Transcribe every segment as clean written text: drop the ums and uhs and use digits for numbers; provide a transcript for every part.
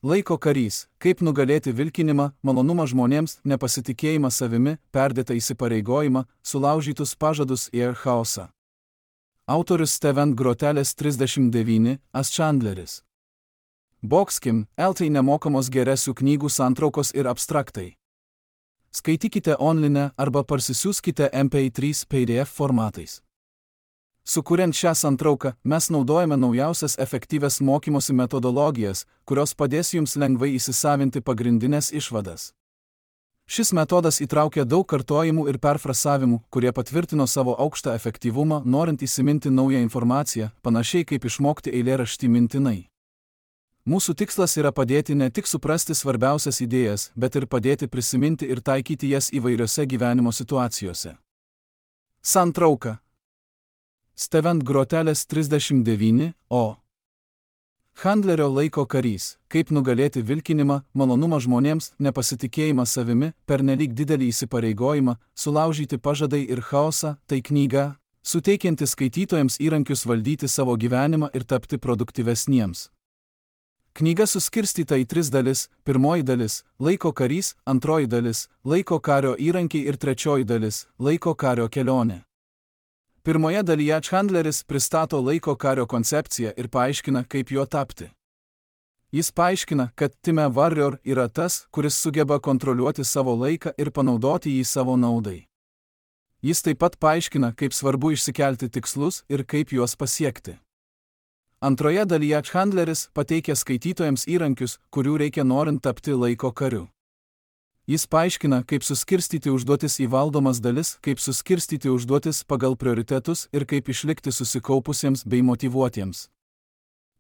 Laiko karys, kaip nugalėti vilkinimą, malonumą žmonėms, nepasitikėjimą savimi, perdėtą įsipareigojimą, sulaužytus pažadus ir chaosą. Autorius Steven Grotelis 39, As Chandleris. Boxkim, LT nemokamos geresių knygų santraukos ir abstraktai. Skaitykite online arba parsisiųskite MP3 PDF formatais. Sukuriant šią santrauką, mes naudojame naujausias efektyvias mokymosi metodologijas, kurios padės jums lengvai įsisavinti pagrindinės išvadas. Šis metodas įtraukia daug kartojimų ir perfrasavimų, kurie patvirtino savo aukštą efektyvumą, norint įsiminti naują informaciją, panašiai kaip išmokti eilėraštį mintinai. Mūsų tikslas yra padėti ne tik suprasti svarbiausias idėjas, bet ir padėti prisiminti ir taikyti jas įvairiose gyvenimo situacijose. Santrauka. Steven Grotelis 39, O. Chandlerio laiko karys, kaip nugalėti vilkinimą, malonumą žmonėms, nepasitikėjimą savimi, pernelyg didelį įsipareigojimą, sulaužyti pažadai ir chaosą, tai knyga, suteikianti skaitytojams įrankius valdyti savo gyvenimą ir tapti produktyvesniems. Knyga suskirstyta į 3 dalis, pirmoji dalis – laiko karys, antroji dalis – laiko kario įrankiai ir trečioji dalis – laiko kario kelionė. Pirmoje dalyje Chandleris pristato laiko kario koncepciją ir paaiškina, kaip juo tapti. Jis paaiškina, kad Time Warrior yra tas, kuris sugeba kontroliuoti savo laiką ir panaudoti jį savo naudai. Jis taip pat paaiškina, kaip svarbu išsikelti tikslus ir kaip juos pasiekti. Antroje dalyje Chandleris pateikia skaitytojams įrankius, kurių reikia norint tapti laiko kariu. Jis paaiškina, kaip suskirstyti užduotis į valdomas dalis, kaip suskirstyti užduotis pagal prioritetus ir kaip išlikti susikaupusiems bei motyvuotiems.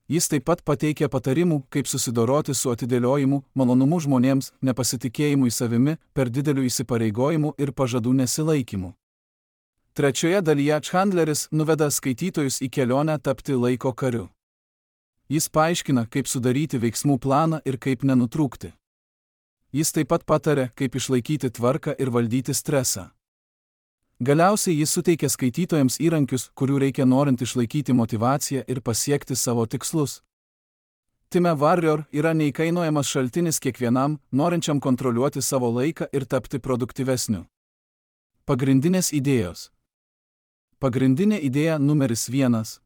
Jis taip pat pateikia patarimų, kaip susidoroti su atidėliojimu, malonumu žmonėms, nepasitikėjimu savimi, per dideliu įsipareigojimu ir pažadų nesilaikymu. Trečioje dalyje Chandleris nuveda skaitytojus į kelionę tapti laiko kariu. Jis paaiškina, kaip sudaryti veiksmų planą ir kaip nenutrūkti. Jis taip pat pataria, kaip išlaikyti tvarką ir valdyti stresą. Galiausiai jis suteikia skaitytojams įrankius, kurių reikia norint išlaikyti motyvaciją ir pasiekti savo tikslus. Time Warrior yra neįkainojamas šaltinis kiekvienam, norinčiam kontroliuoti savo laiką ir tapti produktyvesniu. Pagrindinės idėjos. Pagrindinė idėja numeris 1.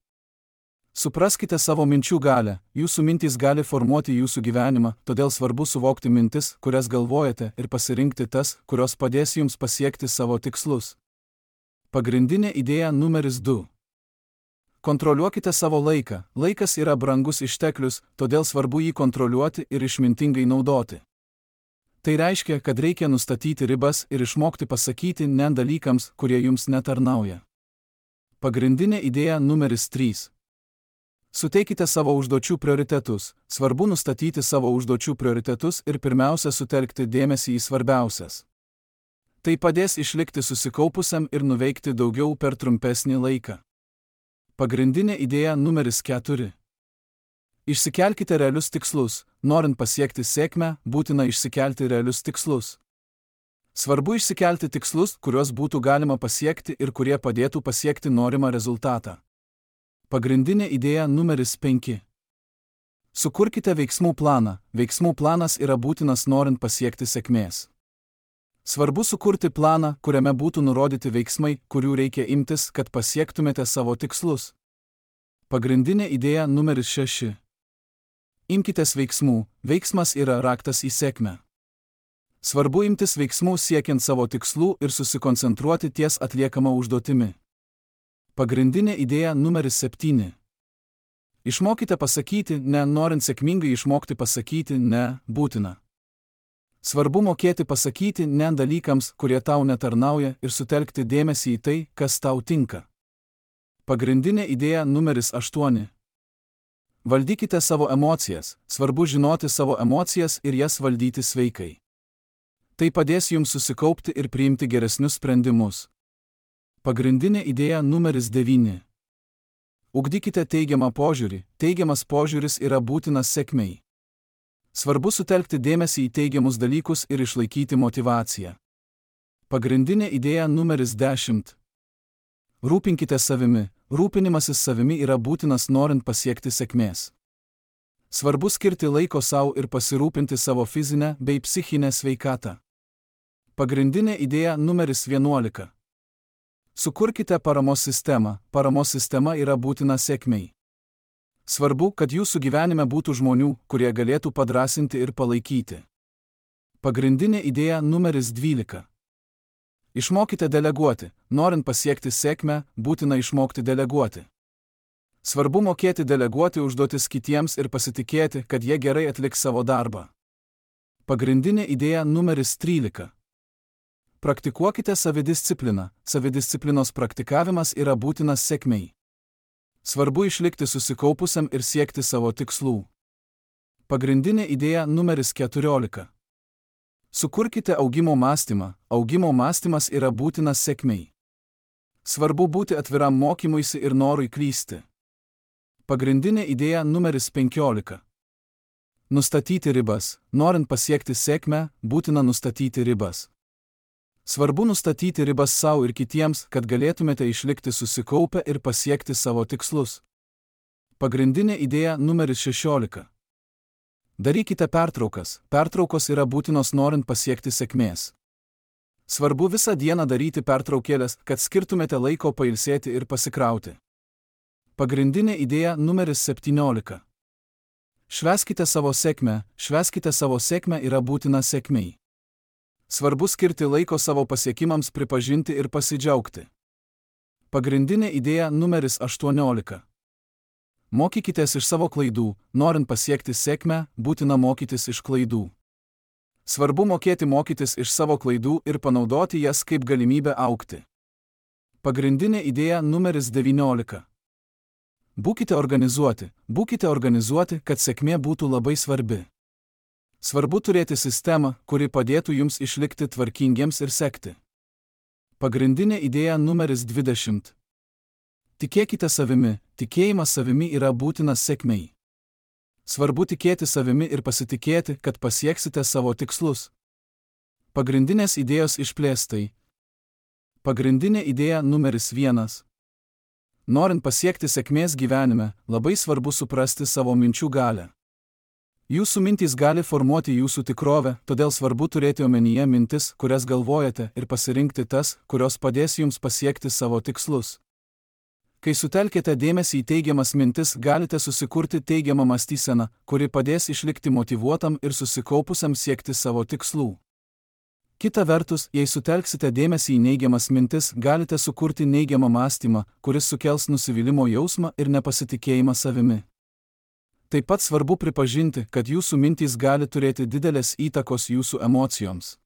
Supraskite savo minčių galią, jūsų mintys gali formuoti jūsų gyvenimą, todėl svarbu suvokti mintis, kurias galvojate, ir pasirinkti tas, kurios padės jums pasiekti savo tikslus. Pagrindinė idėja numeris 2. Kontroliuokite savo laiką. Laikas yra brangus išteklius, todėl svarbu jį kontroliuoti ir išmintingai naudoti. Tai reiškia, kad reikia nustatyti ribas ir išmokti pasakyti ne dalykams, kurie jums netarnauja. Pagrindinė idėja numeris 3. Suteikite savo užduočių prioritetus. Svarbu nustatyti savo užduočių prioritetus ir pirmiausia sutelkti dėmesį į svarbiausias. Tai padės išlikti susikaupusiam ir nuveikti daugiau per trumpesnį laiką. Pagrindinė idėja numeris 4. Išsikelkite realius tikslus. Norint pasiekti sėkmę, būtina išsikelti realius tikslus. Svarbu išsikelti tikslus, kuriuos būtų galima pasiekti ir kurie padėtų pasiekti norimą rezultatą. Pagrindinė idėja numeris 5. Sukurkite veiksmų planą. Veiksmų planas yra būtinas norint pasiekti sėkmės. Svarbu sukurti planą, kuriame būtų nurodyti veiksmai, kurių reikia imtis, kad pasiektumėte savo tikslus. Pagrindinė idėja numeris 6. Imkitės veiksmų. Veiksmas yra raktas į sėkmę. Svarbu imtis veiksmų siekiant savo tikslų ir susikoncentruoti ties atliekama užduotimi. Pagrindinė idėja numeris 7. Išmokite pasakyti ne, norint sėkmingai išmokti pasakyti ne, būtina. Svarbu mokėti pasakyti ne dalykams, kurie tau netarnauja, ir sutelkti dėmesį į tai, kas tau tinka. Pagrindinė idėja numeris 8. Valdykite savo emocijas. Svarbu žinoti savo emocijas ir jas valdyti sveikai. Tai padės jums susikaupti ir priimti geresnius sprendimus. Pagrindinė idėja numeris 9. Ugdykite teigiamą požiūrį. Teigiamas požiūris yra būtinas sėkmei. Svarbu sutelkti dėmesį į teigiamus dalykus ir išlaikyti motyvaciją. Pagrindinė idėja numeris 10. Rūpinkite savimi. Rūpinimasis savimi yra būtinas norint pasiekti sėkmės. Svarbu skirti laiko savo ir pasirūpinti savo fizinę bei psichinę sveikatą. Pagrindinė idėja numeris 11. Sukurkite paramos sistemą. Paramos sistema yra būtina sėkmei. Svarbu, kad jūsų gyvenime būtų žmonių, kurie galėtų padrąsinti ir palaikyti. Pagrindinė idėja numeris 12. Išmokite deleguoti. Norint pasiekti sėkmę, būtina išmokti deleguoti. Svarbu mokėti deleguoti užduotis kitiems ir pasitikėti, kad jie gerai atliks savo darbą. Pagrindinė idėja numeris 13. Praktikuokite savidiscipliną. Savidisciplinos praktikavimas yra būtinas sėkmei. Svarbu išlikti susikaupusiam ir siekti savo tikslų. Pagrindinė idėja numeris 14. Sukurkite augimo mąstymą. Augimo mąstymas yra būtinas sėkmei. Svarbu būti atviram mokymuisi ir norui klysti. Pagrindinė idėja numeris 15. Nustatyti ribas. Norint pasiekti sėkmę, būtina nustatyti ribas. Svarbu nustatyti ribas savo ir kitiems, kad galėtumėte išlikti susikaupę ir pasiekti savo tikslus. Pagrindinė idėja numeris 16. Darykite pertraukas. Pertraukos yra būtinos norint pasiekti sėkmės. Svarbu visą dieną daryti pertraukėlės, kad skirtumėte laiko pailsėti ir pasikrauti. Pagrindinė idėja numeris 17. Švęskite savo sėkmę. Švęskite savo sėkmę yra būtina sėkmei. Svarbu skirti laiko savo pasiekimams pripažinti ir pasidžiaugti. Pagrindinė idėja numeris 18. Mokykitės iš savo klaidų. Norint pasiekti sėkmę, būtina mokytis iš klaidų. Svarbu mokėti mokytis iš savo klaidų ir panaudoti jas kaip galimybę augti. Pagrindinė idėja numeris 19. Būkite organizuoti, kad sėkmė būtų labai svarbi. Svarbu turėti sistemą, kuri padėtų jums išlikti tvarkingiems ir sekti. Pagrindinė idėja numeris 20. Tikėkite savimi. Tikėjimas savimi yra būtinas sėkmei. Svarbu tikėti savimi ir pasitikėti, kad pasieksite savo tikslus. Pagrindinės idėjos išplėstai. Pagrindinė idėja numeris 1. Norint pasiekti sėkmės gyvenime, labai svarbu suprasti savo minčių galią. Jūsų mintys gali formuoti jūsų tikrovę, todėl svarbu turėti omenyje mintis, kurias galvojate, ir pasirinkti tas, kurios padės jums pasiekti savo tikslus. Kai sutelkite dėmesį į teigiamas mintis, galite susikurti teigiamą mąstyseną, kuri padės išlikti motyvuotam ir susikaupusiam siekti savo tikslų. Kita vertus, jei sutelksite dėmesį į neigiamas mintis, galite sukurti neigiamą mąstymą, kuris sukels nusivylimo jausmą ir nepasitikėjimą savimi. Taip pat svarbu pripažinti, kad jūsų mintys gali turėti didelės įtakos jūsų emocijoms.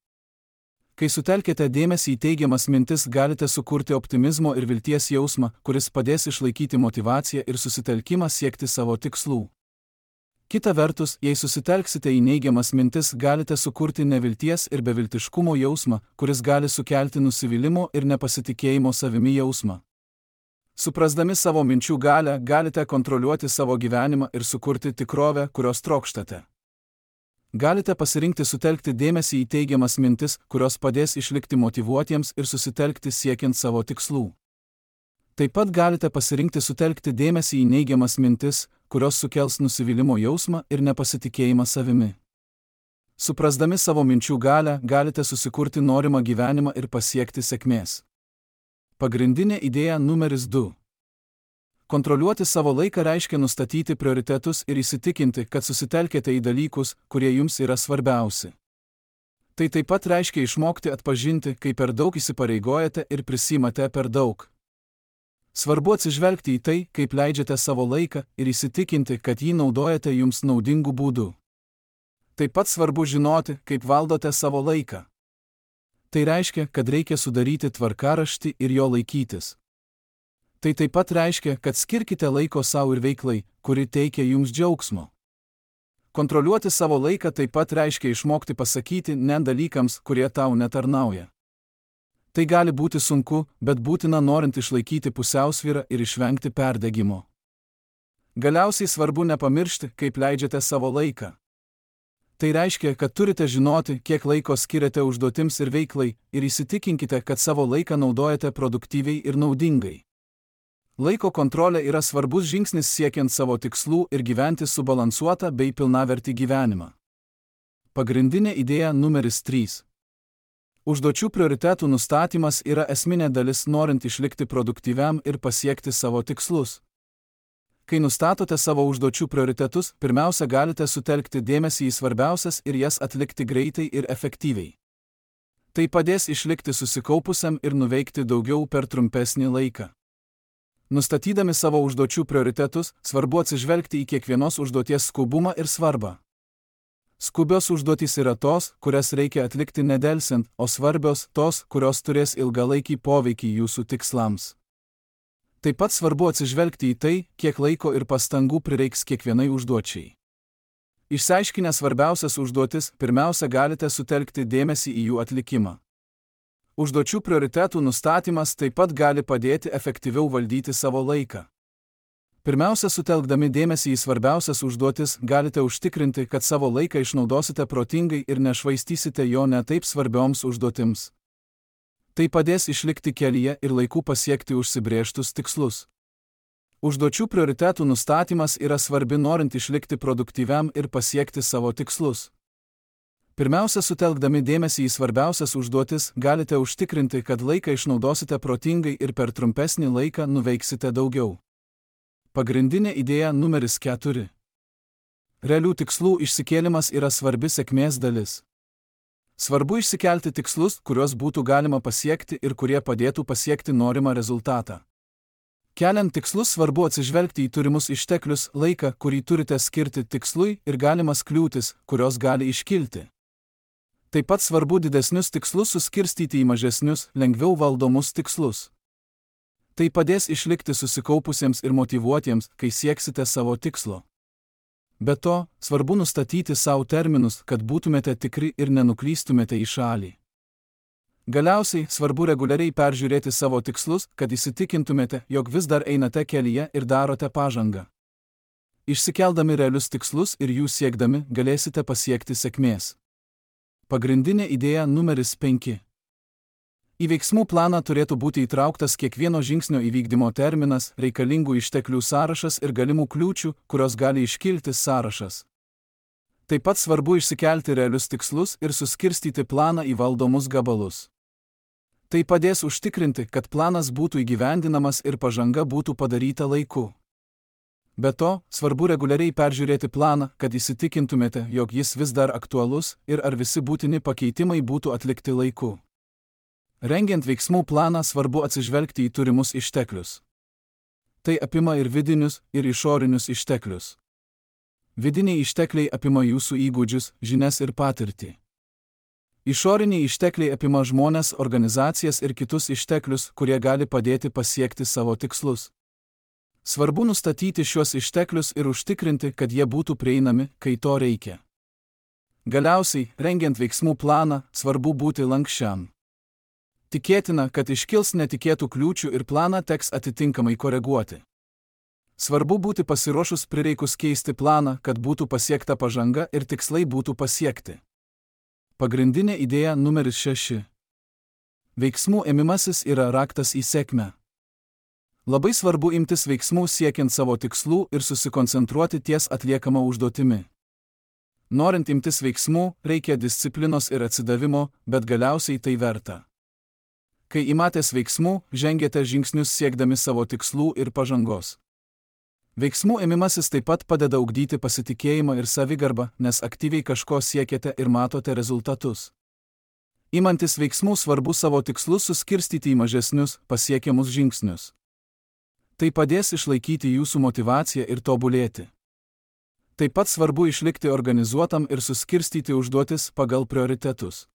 Kai sutelkite dėmesį į teigiamas mintis, galite sukurti optimizmo ir vilties jausmą, kuris padės išlaikyti motyvaciją ir susitelkimą siekti savo tikslų. Kita vertus, jei susitelksite į neigiamas mintis, galite sukurti nevilties ir beviltiškumo jausmą, kuris gali sukelti nusivylimo ir nepasitikėjimo savimi jausmą. Suprasdami savo minčių galią, galite kontroliuoti savo gyvenimą ir sukurti tikrovę, kurios trokštate. Galite pasirinkti sutelkti dėmesį į teigiamas mintis, kurios padės išlikti motyvuotiems ir susitelkti siekiant savo tikslų. Taip pat galite pasirinkti sutelkti dėmesį į neigiamas mintis, kurios sukels nusivylimo jausmą ir nepasitikėjimą savimi. Suprasdami savo minčių galią, galite susikurti norimą gyvenimą ir pasiekti sėkmės. Pagrindinė idėja numeris 2. Kontroliuoti savo laiką reiškia nustatyti prioritetus ir įsitikinti, kad susitelkėte į dalykus, kurie jums yra svarbiausi. Tai taip pat reiškia išmokti atpažinti, kai per daug įsipareigojate ir prisimate per daug. Svarbu atsižvelgti į tai, kaip leidžiate savo laiką ir įsitikinti, kad jį naudojate jums naudingu būdu. Taip pat svarbu žinoti, kaip valdote savo laiką. Tai reiškia, kad reikia sudaryti tvarkaraštį ir jo laikytis. Tai taip pat reiškia, kad skirkite laiko savo ir veiklai, kuri teikia jums džiaugsmo. Kontroliuoti savo laiką taip pat reiškia išmokti pasakyti ne dalykams, kurie tau netarnauja. Tai gali būti sunku, bet būtina norint išlaikyti pusiausvyrą ir išvengti perdegimo. Galiausiai svarbu nepamiršti, kaip leidžiate savo laiką. Tai reiškia, kad turite žinoti, kiek laiko skiriate užduotims ir veiklai, ir įsitikinkite, kad savo laiką naudojate produktyviai ir naudingai. Laiko kontrolė yra svarbus žingsnis siekiant savo tikslų ir gyventi subalansuotą bei pilnavertį gyvenimą. Pagrindinė idėja numeris 3. Užduočių prioritetų nustatymas yra esminė dalis norint išlikti produktyviam ir pasiekti savo tikslus. Kai nustatote savo užduočių prioritetus, pirmiausia galite sutelkti dėmesį į svarbiausias ir jas atlikti greitai ir efektyviai. Tai padės išlikti susikaupusiam ir nuveikti daugiau per trumpesnį laiką. Nustatydami savo užduočių prioritetus, svarbu atsižvelgti į kiekvienos užduoties skubumą ir svarbą. Skubios užduotys yra tos, kurias reikia atlikti nedelsiant, o svarbios tos, kurios turės ilgalaikį poveikį jūsų tikslams. Taip pat svarbu atsižvelgti į tai, kiek laiko ir pastangų prireiks kiekvienai užduočiai. Išsiaiškinę svarbiausias užduotis, pirmiausia galite sutelkti dėmesį į jų atlikimą. Užduočių prioritetų nustatymas taip pat gali padėti efektyviau valdyti savo laiką. Pirmiausia, sutelkdami dėmesį į svarbiausias užduotis, galite užtikrinti, kad savo laiką išnaudosite protingai ir nešvaistysite jo ne taip svarbioms užduotims. Tai padės išlikti kelyje ir laiku pasiekti užsibrėžtus tikslus. Užduočių prioritetų nustatymas yra svarbi norint išlikti produktyviam ir pasiekti savo tikslus. Pirmiausia, sutelkdami dėmesį į svarbiausias užduotis, galite užtikrinti, kad laiką išnaudosite protingai ir per trumpesnį laiką nuveiksite daugiau. Pagrindinė idėja numeris 4. Realių tikslų išsikėlimas yra svarbi sėkmės dalis. Svarbu išsikelti tikslus, kuriuos būtų galima pasiekti ir kurie padėtų pasiekti norimą rezultatą. Keliant tikslus svarbu atsižvelgti į turimus išteklius, laiką, kurį turite skirti tikslui ir galimas kliūtis, kurios gali iškilti. Taip pat svarbu didesnius tikslus suskirstyti į mažesnius, lengviau valdomus tikslus. Tai padės išlikti susikaupusiems ir motyvuotiems, kai sieksite savo tikslo. Be to, svarbu nustatyti savo terminus, kad būtumėte tikri ir nenuklystumėte į šalį. Galiausiai, svarbu reguliariai peržiūrėti savo tikslus, kad įsitikintumėte, jog vis dar einate kelyje ir darote pažangą. Išsikeldami realius tikslus ir jų siekdami, galėsite pasiekti sėkmės. Pagrindinė idėja numeris 5. Į veiksmų planą turėtų būti įtrauktas kiekvieno žingsnio įvykdymo terminas, reikalingų išteklių sąrašas ir galimų kliūčių, kurios gali iškilti sąrašas. Taip pat svarbu išsikelti realius tikslus ir suskirstyti planą į valdomus gabalus. Tai padės užtikrinti, kad planas būtų įgyvendinamas ir pažanga būtų padaryta laiku. Be to, svarbu reguliariai peržiūrėti planą, kad įsitikintumėte, jog jis vis dar aktualus ir ar visi būtini pakeitimai būtų atlikti laiku. Rengiant veiksmų planą svarbu atsižvelgti į turimus išteklius. Tai apima ir vidinius, ir išorinius išteklius. Vidiniai ištekliai apima jūsų įgūdžius, žinias ir patirtį. Išoriniai ištekliai apima žmones, organizacijas ir kitus išteklius, kurie gali padėti pasiekti savo tikslus. Svarbu nustatyti šiuos išteklius ir užtikrinti, kad jie būtų prieinami, kai to reikia. Galiausiai, rengiant veiksmų planą, svarbu būti lanksčiam. Tikėtina, kad iškils netikėtų kliūčių ir planą teks atitinkamai koreguoti. Svarbu būti pasiruošus prireikus keisti planą, kad būtų pasiekta pažanga ir tikslai būtų pasiekti. Pagrindinė idėja numeris 6. Veiksmų ėmimasis yra raktas į sėkmę. Labai svarbu imtis veiksmų siekiant savo tikslų ir susikoncentruoti ties atliekama užduotimi. Norint imtis veiksmų, reikia disciplinos ir atsidavimo, bet galiausiai tai verta. Kai imatės veiksmų, žengiate žingsnius siekdami savo tikslų ir pažangos. Veiksmų ėmimasis taip pat padeda ugdyti pasitikėjimą ir savigarbą, nes aktyviai kažko siekiate ir matote rezultatus. Imantis veiksmų svarbu savo tikslus suskirstyti į mažesnius, pasiekiamus žingsnius. Tai padės išlaikyti jūsų motyvaciją ir tobulėti. Taip pat svarbu išlikti organizuotam ir suskirstyti užduotis pagal prioritetus.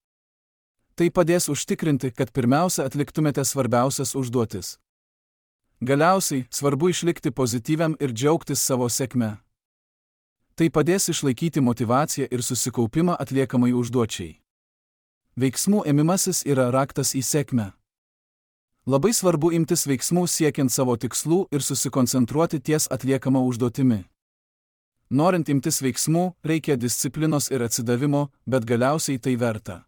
Tai padės užtikrinti, kad pirmiausia atliktumėte svarbiausias užduotis. Galiausiai, svarbu išlikti pozityviam ir džiaugtis savo sėkme. Tai padės išlaikyti motyvaciją ir susikaupimą atliekamai užduočiai. Veiksmų ėmimasis yra raktas į sėkmę. Labai svarbu imtis veiksmų siekiant savo tikslų ir susikoncentruoti ties atliekama užduotimi. Norint imtis veiksmų, reikia disciplinos ir atsidavimo, bet galiausiai tai verta.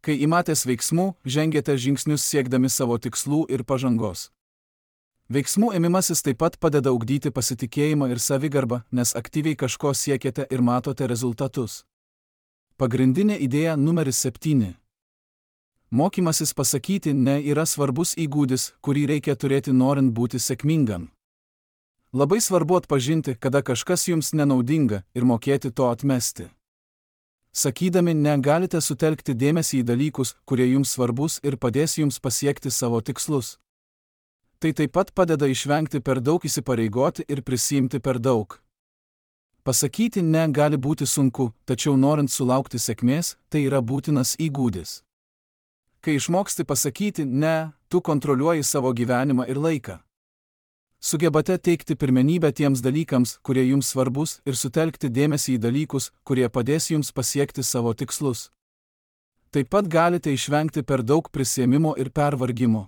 Kai imatės veiksmų, žengiate žingsnius siekdami savo tikslų ir pažangos. Veiksmų ėmimasis taip pat padeda ugdyti pasitikėjimą ir savigarbą, nes aktyviai kažko siekiate ir matote rezultatus. Pagrindinė idėja numeris 7. Mokymasis pasakyti ne yra svarbus įgūdis, kurį reikia turėti norint būti sėkmingam. Labai svarbu atpažinti, kada kažkas jums nenaudinga ir mokėti to atmesti. Sakydami ne galite sutelkti dėmesį į dalykus, kurie jums svarbus ir padės jums pasiekti savo tikslus. Tai taip pat padeda išvengti per daug įsipareigoti ir prisiimti per daug. Pasakyti ne gali būti sunku, tačiau norint sulaukti sėkmės, tai yra būtinas įgūdis. Kai išmoksti pasakyti ne, tu kontroliuoji savo gyvenimą ir laiką. Sugebate teikti pirmenybę tiems dalykams, kurie jums svarbus, ir sutelkti dėmesį į dalykus, kurie padės jums pasiekti savo tikslus. Taip pat galite išvengti per daug prisiėmimo ir pervargimo.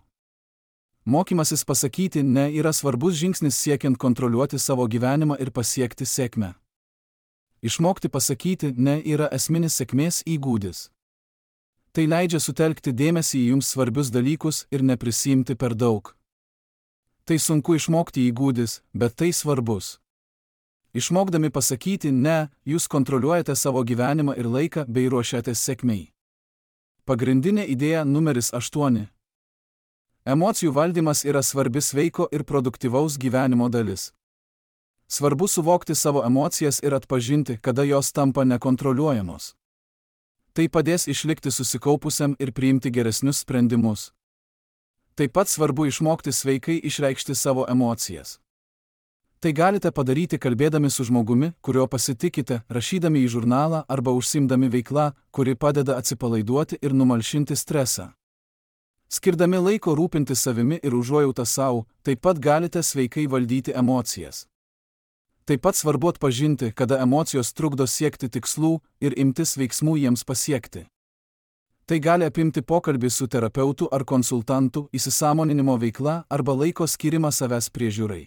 Mokymasis pasakyti ne yra svarbus žingsnis siekiant kontroliuoti savo gyvenimą ir pasiekti sėkmę. Išmokti pasakyti ne yra esminis sėkmės įgūdis. Tai leidžia sutelkti dėmesį į jums svarbius dalykus ir neprisiimti per daug. Tai sunku išmokti įgūdis, bet tai svarbus. Išmokdami pasakyti ne, jūs kontroliuojate savo gyvenimą ir laiką bei ruošiatės sėkmei. Pagrindinė idėja numeris 8. Emocijų valdymas yra svarbi sveiko ir produktyvaus gyvenimo dalis. Svarbu suvokti savo emocijas ir atpažinti, kada jos tampa nekontroliuojamos. Tai padės išlikti susikaupusiam ir priimti geresnius sprendimus. Taip pat svarbu išmokti sveikai išreikšti savo emocijas. Tai galite padaryti kalbėdami su žmogumi, kurio pasitikite, rašydami į žurnalą arba užsiimdami veiklą, kuri padeda atsipalaiduoti ir numalšinti stresą. Skirdami laiko rūpintis savimi ir užuojautą savo, taip pat galite sveikai valdyti emocijas. Taip pat svarbu atpažinti, kada emocijos trukdo siekti tikslų ir imtis veiksmų jiems pasiekti. Tai gali apimti pokalbį su terapeutu ar konsultantu, įsisąmoninimo veikla arba laiko skirimą savęs priežiūrai.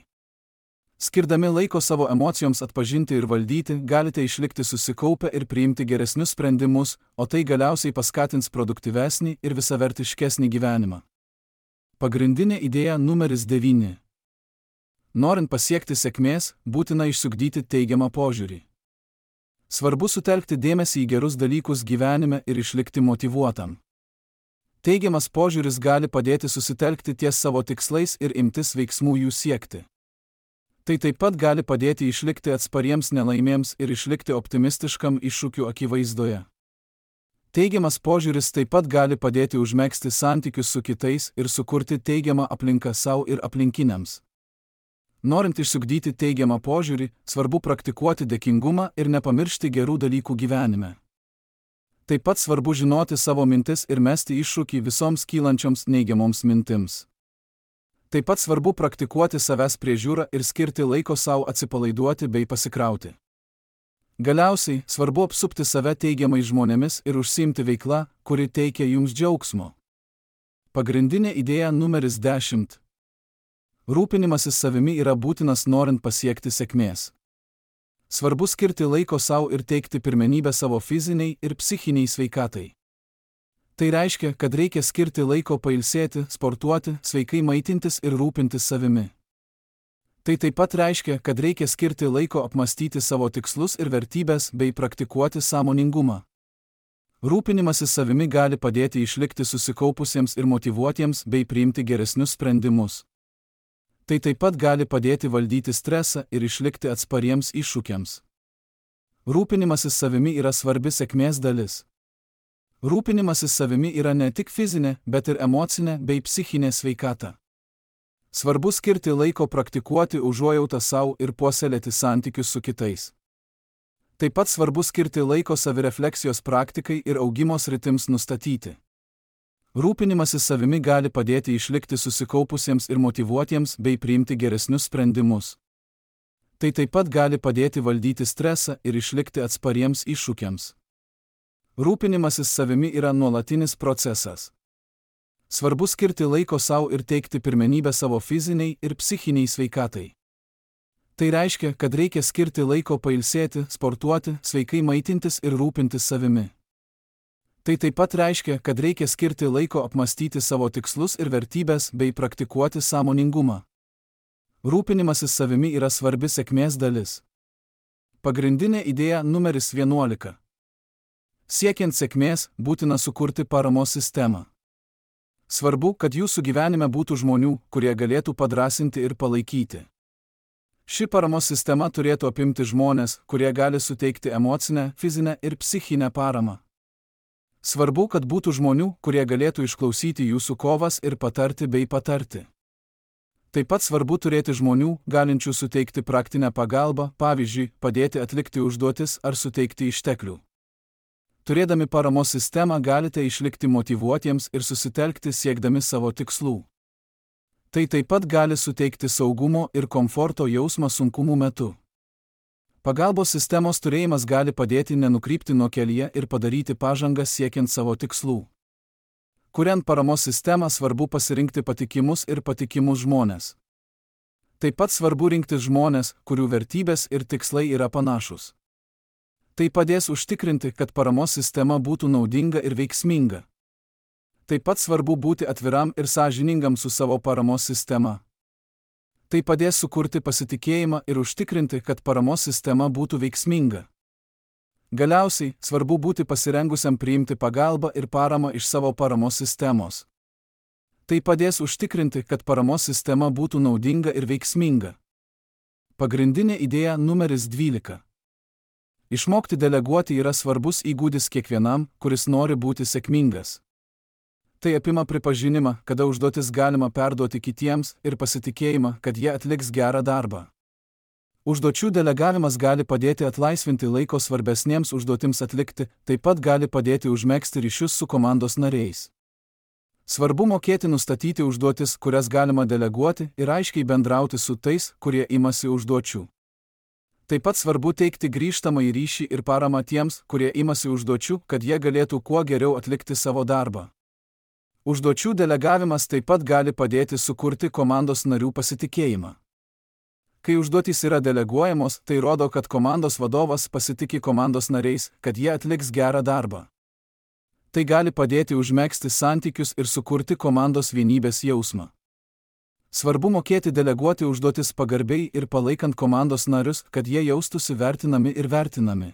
Skirdami laiko savo emocijoms atpažinti ir valdyti, galite išlikti susikaupę ir priimti geresnius sprendimus, o tai galiausiai paskatins produktyvesnį ir visavertiškesnį gyvenimą. Pagrindinė idėja numeris 9. Norint pasiekti sėkmės, būtina išsiugdyti teigiamą požiūrį. Svarbu sutelkti dėmesį į gerus dalykus gyvenime ir išlikti motyvuotam. Teigiamas požiūris gali padėti susitelkti ties savo tikslais ir imtis veiksmų jų siekti. Tai taip pat gali padėti išlikti atspariems nelaimėms ir išlikti optimistiškam iššūkių akivaizdoje. Teigiamas požiūris taip pat gali padėti užmegzti santykius su kitais ir sukurti teigiamą aplinką savo ir aplinkiniams. Norint išsiugdyti teigiamą požiūrį, svarbu praktikuoti dėkingumą ir nepamiršti gerų dalykų gyvenime. Taip pat svarbu žinoti savo mintis ir mesti iššūkį visoms kylančioms neigiamoms mintims. Taip pat svarbu praktikuoti savęs priežiūrą ir skirti laiko savo atsipalaiduoti bei pasikrauti. Galiausiai, svarbu apsupti save teigiamais žmonėmis ir užsiimti veiklą, kuri teikia jums džiaugsmo. Pagrindinė idėja numeris 10. Rūpinimasis savimi yra būtinas norint pasiekti sėkmės. Svarbu skirti laiko savo ir teikti pirmenybę savo fiziniai ir psichiniai sveikatai. Tai reiškia, kad reikia skirti laiko pailsėti, sportuoti, sveikai maitintis ir rūpintis savimi. Tai taip pat reiškia, kad reikia skirti laiko apmastyti savo tikslus ir vertybės bei praktikuoti sąmoningumą. Rūpinimasis savimi gali padėti išlikti susikaupusiems ir motyvuotiems bei priimti geresnius sprendimus. Tai taip pat gali padėti valdyti stresą ir išlikti atspariems iššūkiams. Rūpinimasis savimi yra svarbi sėkmės dalis. Rūpinimasis savimi yra ne tik fizinė, bet ir emocinė bei psichinė sveikata. Svarbu skirti laiko praktikuoti užuojautą savo ir puoselėti santykius su kitais. Taip pat svarbu skirti laiko savirefleksijos praktikai ir augimo sritims nustatyti. Rūpinimasis savimi gali padėti išlikti susikaupusiems ir motyvuotiems bei priimti geresnius sprendimus. Tai taip pat gali padėti valdyti stresą ir išlikti atspariems iššūkiams. Rūpinimasis savimi yra nuolatinis procesas. Svarbu skirti laiko savo ir teikti pirmenybę savo fiziniai ir psichiniai sveikatai. Tai reiškia, kad reikia skirti laiko pailsėti, sportuoti, sveikai maitintis ir rūpintis savimi. Tai taip pat reiškia, kad reikia skirti laiko apmastyti savo tikslus ir vertybės bei praktikuoti sąmoningumą. Rūpinimasis savimi yra svarbi sėkmės dalis. Pagrindinė idėja numeris 11. Siekiant sėkmės, būtina sukurti paramos sistemą. Svarbu, kad jūsų gyvenime būtų žmonių, kurie galėtų padrąsinti ir palaikyti. Ši paramos sistema turėtų apimti žmonės, kurie gali suteikti emocinę, fizinę ir psichinę paramą. Svarbu, kad būtų žmonių, kurie galėtų išklausyti jūsų kovas ir patarti bei patarti. Taip pat svarbu turėti žmonių, galinčių suteikti praktinę pagalbą, pavyzdžiui, padėti atlikti užduotis ar suteikti išteklių. Turėdami paramos sistemą galite išlikti motyvuotiems ir susitelkti siekdami savo tikslų. Tai taip pat gali suteikti saugumo ir komforto jausmą sunkumų metu. Pagalbos sistemos turėjimas gali padėti nenukrypti nuo kelyje ir padaryti pažangą siekiant savo tikslų. Kuriant paramos sistemą, svarbu pasirinkti patikimus ir patikimus žmonės. Taip pat svarbu rinktis žmonės, kurių vertybės ir tikslai yra panašus. Tai padės užtikrinti, kad paramos sistema būtų naudinga ir veiksminga. Taip pat svarbu būti atviram ir sąžiningam su savo paramos sistema. Tai padės sukurti pasitikėjimą ir užtikrinti, kad paramos sistema būtų veiksminga. Galiausiai, svarbu būti pasirengusiam priimti pagalbą ir paramą iš savo paramos sistemos. Tai padės užtikrinti, kad paramos sistema būtų naudinga ir veiksminga. Pagrindinė idėja numeris 12. Išmokti deleguoti yra svarbus įgūdis kiekvienam, kuris nori būti sėkmingas. Tai apima pripažinimą, kada užduotis galima perduoti kitiems ir pasitikėjimą, kad jie atliks gerą darbą. Užduočių delegavimas gali padėti atlaisvinti laiko svarbesniems užduotims atlikti, taip pat gali padėti užmegzti ryšius su komandos nariais. Svarbu mokėti nustatyti užduotis, kurias galima deleguoti ir aiškiai bendrauti su tais, kurie imasi užduočių. Taip pat svarbu teikti grįžtamąjį ryšį ir paramą tiems, kurie imasi užduočių, kad jie galėtų kuo geriau atlikti savo darbą. Užduočių delegavimas taip pat gali padėti sukurti komandos narių pasitikėjimą. Kai užduotys yra deleguojamos, tai rodo, kad komandos vadovas pasitiki komandos nariais, kad jie atliks gerą darbą. Tai gali padėti užmegzti santykius ir sukurti komandos vienybės jausmą. Svarbu mokėti deleguoti užduotis pagarbiai ir palaikant komandos narius, kad jie jaustųsi vertinami ir vertinami.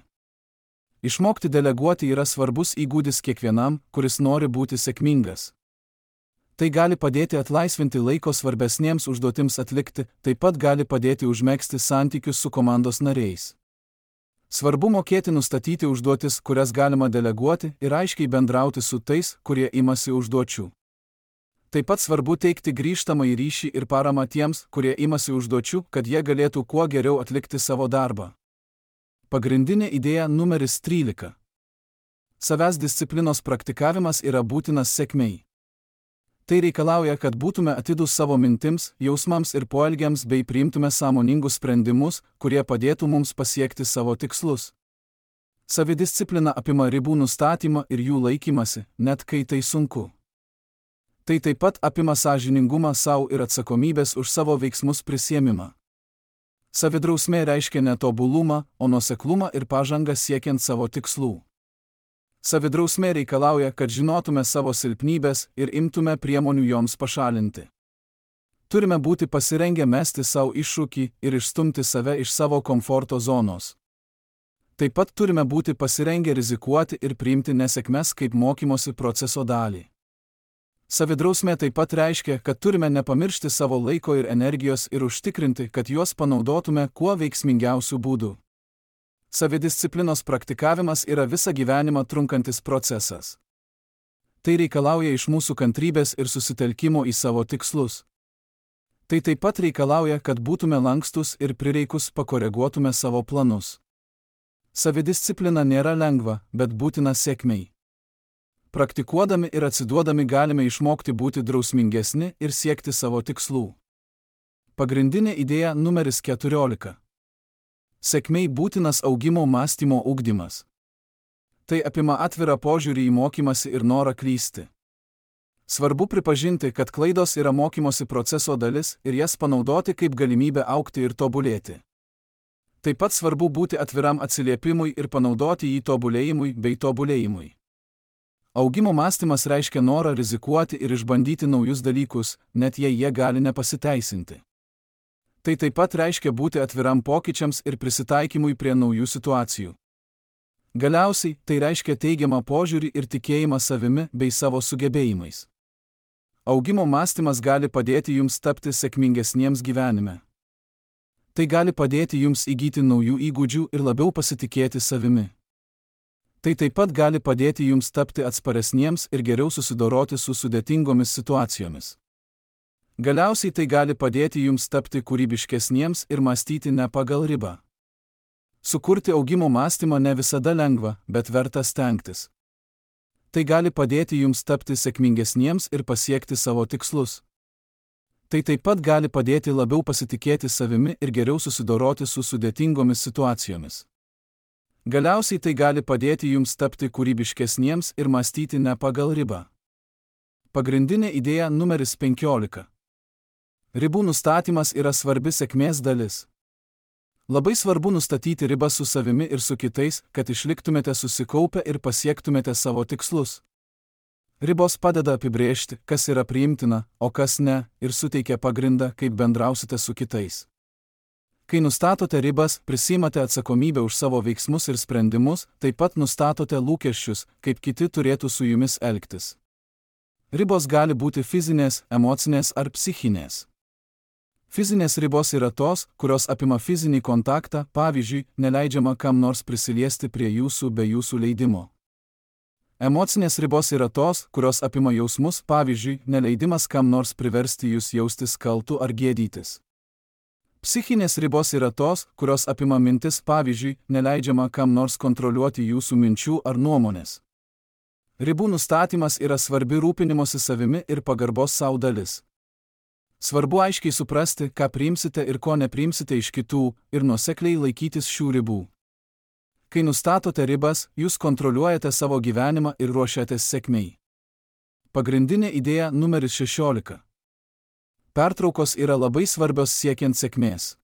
Išmokti deleguoti yra svarbus įgūdis kiekvienam, kuris nori būti sėkmingas. Tai gali padėti atlaisvinti laiko svarbesniems užduotims atlikti, taip pat gali padėti užmegzti santykius su komandos nariais. Svarbu mokėti nustatyti užduotis, kurias galima deleguoti ir aiškiai bendrauti su tais, kurie imasi užduočių. Taip pat svarbu teikti grįžtamąjį ryšį ir paramą tiems, kurie imasi užduočių, kad jie galėtų kuo geriau atlikti savo darbą. Pagrindinė idėja numeris 13. Savęs disciplinos praktikavimas yra būtinas sėkmei. Tai reikalauja, kad būtume atidūs savo mintims, jausmams ir poelgiams bei priimtume sąmoningus sprendimus, kurie padėtų mums pasiekti savo tikslus. Savidisciplina apima ribų nustatymą ir jų laikymasi, net kai tai sunku. Tai taip pat apima sąžiningumą savo ir atsakomybės už savo veiksmus prisiėmimą. Savidrausmė reiškia netobulumą, o nuoseklumą ir pažangą siekiant savo tikslų. Savidrausmė reikalauja, kad žinotume savo silpnybės ir imtume priemonių joms pašalinti. Turime būti pasirengę mesti savo iššūkį ir išstumti save iš savo komforto zonos. Taip pat turime būti pasirengę rizikuoti ir priimti nesėkmes kaip mokymosi proceso dalį. Savidrausmė taip pat reiškia, kad turime nepamiršti savo laiko ir energijos ir užtikrinti, kad juos panaudotume kuo veiksmingiausių būdų. Savidisciplinos praktikavimas yra visą gyvenimą trunkantis procesas. Tai reikalauja iš mūsų kantrybės ir susitelkimo į savo tikslus. Tai taip pat reikalauja, kad būtume lankstus ir prireikus pakoreguotume savo planus. Savidisciplina nėra lengva, bet būtina sėkmei. Praktikuodami ir atsiduodami galime išmokti būti drausmingesni ir siekti savo tikslų. Pagrindinė idėja numeris 14. Sėkmei būtinas augimo mąstymo ugdymas. Tai apima atvirą požiūrį į mokymąsi ir norą klysti. Svarbu pripažinti, kad klaidos yra mokymosi proceso dalis ir jas panaudoti kaip galimybę augti ir tobulėti. Taip pat svarbu būti atviram atsiliepimui ir panaudoti jį tobulėjimui bei tobulėjimui. Augimo mąstymas reiškia norą rizikuoti ir išbandyti naujus dalykus, net jei jie gali nepasiteisinti. Tai taip pat reiškia būti atviram pokyčiams ir prisitaikymui prie naujų situacijų. Galiausiai, tai reiškia teigiamą požiūrį ir tikėjimą savimi bei savo sugebėjimais. Augimo mąstymas gali padėti jums tapti sėkmingesniems gyvenime. Tai gali padėti jums įgyti naujų įgūdžių ir labiau pasitikėti savimi. Tai taip pat gali padėti jums tapti atsparesniems ir geriau susidoroti su sudėtingomis situacijomis. Galiausiai tai gali padėti jums tapti kūrybiškesniems ir mąstyti ne pagal ribą. Sukurti augimo mąstymą ne visada lengva, bet verta stengtis. Tai gali padėti jums tapti sėkmingesniems ir pasiekti savo tikslus. Tai taip pat gali padėti labiau pasitikėti savimi ir geriau susidoroti su sudėtingomis situacijomis. Galiausiai tai gali padėti jums tapti kūrybiškesniems ir mąstyti ne pagal ribą. Pagrindinė idėja numeris 15. Ribų nustatymas yra svarbi sėkmės dalis. Labai svarbu nustatyti ribas su savimi ir su kitais, kad išliktumėte susikaupę ir pasiektumėte savo tikslus. Ribos padeda apibrėžti, kas yra priimtina, o kas ne, ir suteikia pagrindą, kaip bendrausite su kitais. Kai nustatote ribas, prisiimate atsakomybę už savo veiksmus ir sprendimus, taip pat nustatote lūkesčius, kaip kiti turėtų su jumis elgtis. Ribos gali būti fizinės, emocinės ar psichinės. Fizinės ribos yra tos, kurios apima fizinį kontaktą, pavyzdžiui, neleidžiama kam nors prisiliesti prie jūsų be jūsų leidimo. Emocinės ribos yra tos, kurios apima jausmus, pavyzdžiui, neleidimas kam nors priversti jūs jaustis kaltu ar gėdytis. Psichinės ribos yra tos, kurios apima mintis, pavyzdžiui, neleidžiama kam nors kontroliuoti jūsų minčių ar nuomonės. Ribų nustatymas yra svarbi rūpinimosi savimi ir pagarbos sau dalis. Svarbu aiškiai suprasti, ką priimsite ir ko nepriimsite iš kitų, ir nuosekliai laikytis šių ribų. Kai nustatote ribas, jūs kontroliuojate savo gyvenimą ir ruošiatės sėkmei. Pagrindinė idėja numeris 16. Pertraukos yra labai svarbios siekiant sėkmės.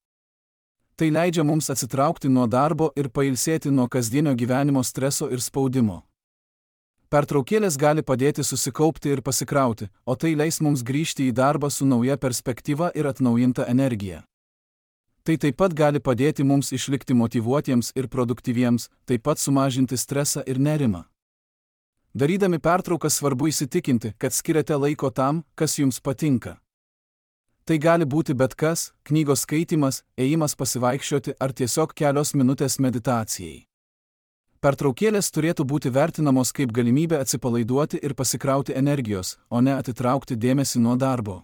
Tai leidžia mums atsitraukti nuo darbo ir pailsėti nuo kasdienio gyvenimo streso ir spaudimo. Pertraukėlės gali padėti susikaupti ir pasikrauti, o tai leis mums grįžti į darbą su nauja perspektyva ir atnaujinta energija. Tai taip pat gali padėti mums išlikti motyvuotiems ir produktyviems, taip pat sumažinti stresą ir nerimą. Darydami pertrauką svarbu įsitikinti, kad skiriate laiko tam, kas jums patinka. Tai gali būti bet kas, knygos skaitymas, ėjimas pasivaikščioti ar tiesiog kelios minutės meditacijai. Pertraukėlės turėtų būti vertinamos kaip galimybė atsipalaiduoti ir pasikrauti energijos, o ne atitraukti dėmesį nuo darbo.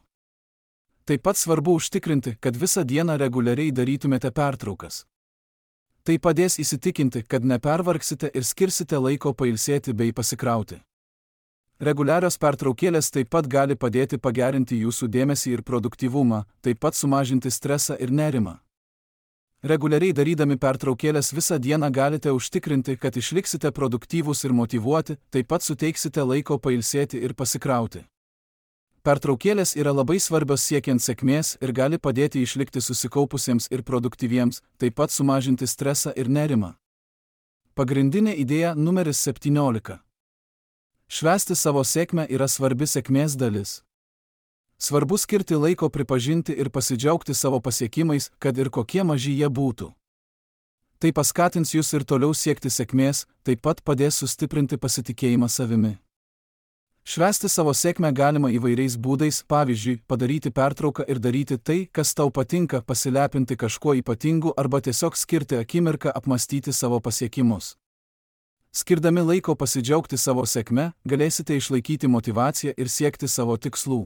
Taip pat svarbu užtikrinti, kad visą dieną reguliariai darytumėte pertraukas. Tai padės įsitikinti, kad nepervargsite ir skirsite laiko pailsėti bei pasikrauti. Reguliarios pertraukėlės taip pat gali padėti pagerinti jūsų dėmesį ir produktyvumą, taip pat sumažinti stresą ir nerimą. Reguliariai darydami pertraukėlės visą dieną galite užtikrinti, kad išliksite produktyvūs ir motyvuoti, taip pat suteiksite laiko pailsėti ir pasikrauti. Pertraukėlės yra labai svarbios siekiant sėkmės ir gali padėti išlikti susikaupusiems ir produktyviems, taip pat sumažinti stresą ir nerimą. Pagrindinė idėja numeris 17. Švęsti savo sėkmę yra svarbi sėkmės dalis. Svarbu skirti laiko pripažinti ir pasidžiaugti savo pasiekimais, kad ir kokie maži jie būtų. Tai paskatins jūs ir toliau siekti sėkmės, taip pat padės sustiprinti pasitikėjimą savimi. Švęsti savo sėkmę galima įvairiais būdais, pavyzdžiui, padaryti pertrauką ir daryti tai, kas tau patinka, pasilepinti kažkuo ypatingu arba tiesiog skirti akimirką apmąstyti savo pasiekimus. Skirdami laiko pasidžiaugti savo sėkme, galėsite išlaikyti motyvaciją ir siekti savo tikslų.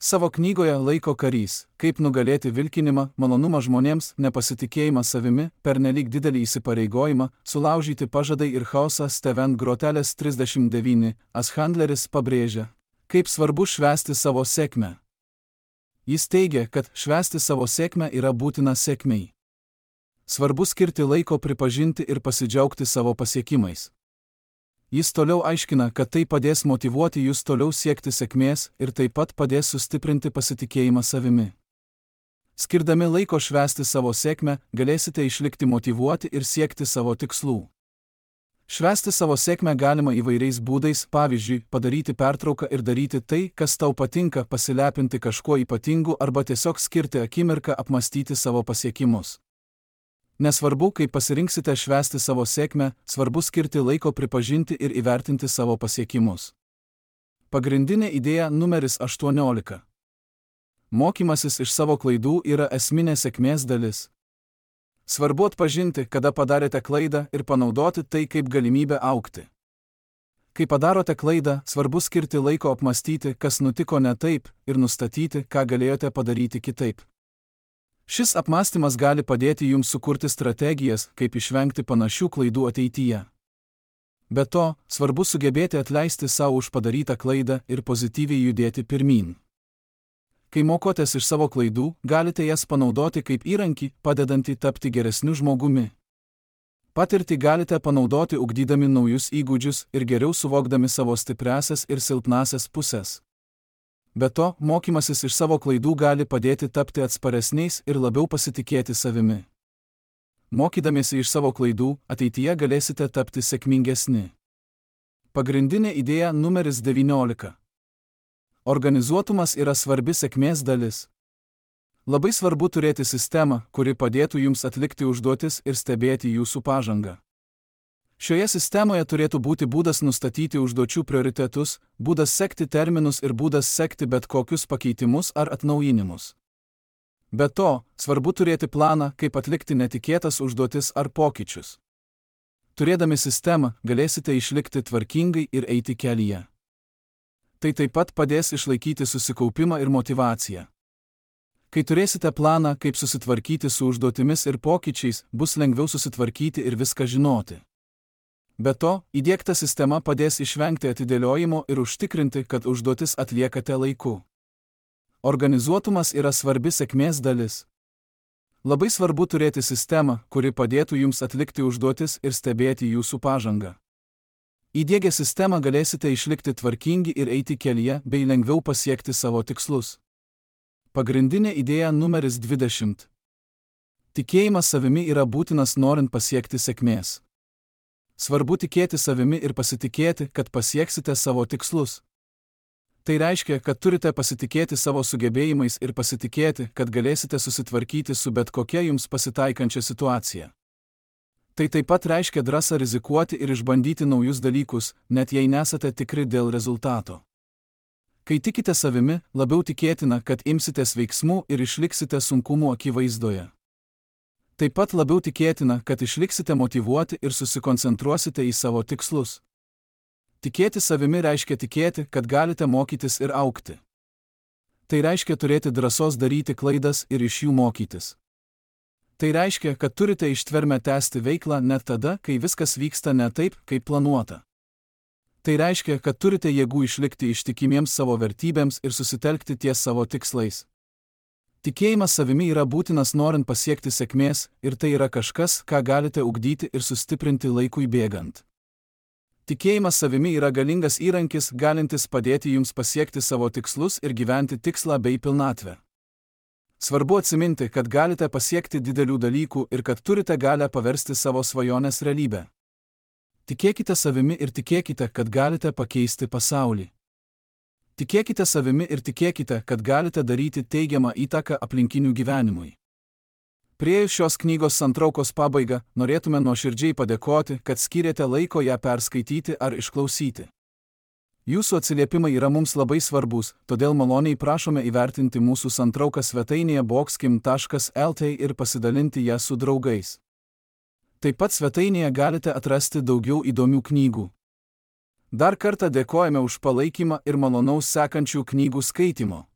Savo knygoje Laiko karys, kaip nugalėti vilkinimą, malonumą žmonėms, nepasitikėjimą savimi, pernelyg didelį įsipareigojimą, sulaužyti pažadai ir chaosą Steven Grotelis 39, Handleris pabrėžia, kaip svarbu švęsti savo sėkmę. Jis teigia, kad švęsti savo sėkmę yra būtina sėkmei. Svarbu skirti laiko pripažinti ir pasidžiaugti savo pasiekimais. Jis toliau aiškina, kad tai padės motyvuoti jūs toliau siekti sėkmės ir taip pat padės sustiprinti pasitikėjimą savimi. Skirdami laiko švęsti savo sėkmę, galėsite išlikti motyvuoti ir siekti savo tikslų. Švęsti savo sėkmę galima įvairiais būdais, pavyzdžiui, padaryti pertrauką ir daryti tai, kas tau patinka, pasilepinti kažkuo ypatingu arba tiesiog skirti akimirką apmąstyti savo pasiekimus. Nesvarbu, kaip pasirinksite švęsti savo sėkmę, svarbu skirti laiko pripažinti ir įvertinti savo pasiekimus. Pagrindinė idėja numeris 18. Mokymasis iš savo klaidų yra esminė sėkmės dalis. Svarbu atpažinti, kada padarėte klaidą ir panaudoti tai kaip galimybę augti. Kai padarote klaidą, svarbu skirti laiko apmąstyti, kas nutiko ne taip, ir nustatyti, ką galėjote padaryti kitaip. Šis apmąstymas gali padėti jums sukurti strategijas, kaip išvengti panašių klaidų ateityje. Be to, svarbu sugebėti atleisti savo už padarytą klaidą ir pozityviai judėti pirmyn. Kai mokotės iš savo klaidų, galite jas panaudoti kaip įrankį, padedantį tapti geresniu žmogumi. Patirtį galite panaudoti ugdydami naujus įgūdžius ir geriau suvokdami savo stipriąsias ir silpnąsias pusės. Be to, mokymasis iš savo klaidų gali padėti tapti atsparesniais ir labiau pasitikėti savimi. Mokydamiesi iš savo klaidų, ateityje galėsite tapti sėkmingesni. Pagrindinė idėja numeris 19. Organizuotumas yra svarbi sėkmės dalis. Labai svarbu turėti sistemą, kuri padėtų jums atlikti užduotis ir stebėti jūsų pažangą. Šioje sistemoje turėtų būti būdas nustatyti užduočių prioritetus, būdas sekti terminus ir būdas sekti bet kokius pakeitimus ar atnaujinimus. Be to, svarbu turėti planą, kaip atlikti netikėtas užduotis ar pokyčius. Turėdami sistemą, galėsite išlikti tvarkingai ir eiti kelyje. Tai taip pat padės išlaikyti susikaupimą ir motyvaciją. Kai turėsite planą, kaip susitvarkyti su užduotimis ir pokyčiais, bus lengviau susitvarkyti ir viską žinoti. Be to, įdiegta sistema padės išvengti atidėliojimo ir užtikrinti, kad užduotis atliekate laiku. Organizuotumas yra svarbi sėkmės dalis. Labai svarbu turėti sistemą, kuri padėtų jums atlikti užduotis ir stebėti jūsų pažangą. Įdiegę sistemą galėsite išlikti tvarkingi ir eiti kelyje bei lengviau pasiekti savo tikslus. Pagrindinė idėja numeris 20. Tikėjimas savimi yra būtinas norint pasiekti sėkmės. Svarbu tikėti savimi ir pasitikėti, kad pasieksite savo tikslus. Tai reiškia, kad turite pasitikėti savo sugebėjimais ir pasitikėti, kad galėsite susitvarkyti su bet kokia jums pasitaikančia situacija. Tai taip pat reiškia drąsą rizikuoti ir išbandyti naujus dalykus, net jei nesate tikri dėl rezultato. Kai tikite savimi, labiau tikėtina, kad imsitės veiksmų ir išliksite sunkumų akivaizdoje. Taip pat labiau tikėtina, kad išliksite motyvuoti ir susikoncentruosite į savo tikslus. Tikėti savimi reiškia tikėti, kad galite mokytis ir augti. Tai reiškia turėti drąsos daryti klaidas ir iš jų mokytis. Tai reiškia, kad turite ištvermę tęsti veiklą net tada, kai viskas vyksta ne taip, kaip planuota. Tai reiškia, kad turite jėgų išlikti ištikimiems savo vertybėms ir susitelkti ties savo tikslais. Tikėjimas savimi yra būtinas norint pasiekti sėkmės ir tai yra kažkas, ką galite ugdyti ir sustiprinti laikui bėgant. Tikėjimas savimi yra galingas įrankis, galintis padėti jums pasiekti savo tikslus ir gyventi tikslą bei pilnatvę. Svarbu atsiminti, kad galite pasiekti didelių dalykų ir kad turite galią paversti savo svajonės realybę. Tikėkite savimi ir tikėkite, kad galite pakeisti pasaulį. Tikėkite savimi ir tikėkite, kad galite daryti teigiamą įtaką aplinkinių gyvenimui. Priėjus šios knygos santraukos pabaigą, norėtume nuoširdžiai padėkoti, kad skyrėte laiko ją perskaityti ar išklausyti. Jūsų atsiliepimai yra mums labai svarbus, todėl maloniai prašome įvertinti mūsų santrauką svetainėje boxkim.lt ir pasidalinti ją su draugais. Taip pat svetainėje galite atrasti daugiau įdomių knygų. Dar kartą dėkojame už palaikymą ir malonaus sekančių knygų skaitimo.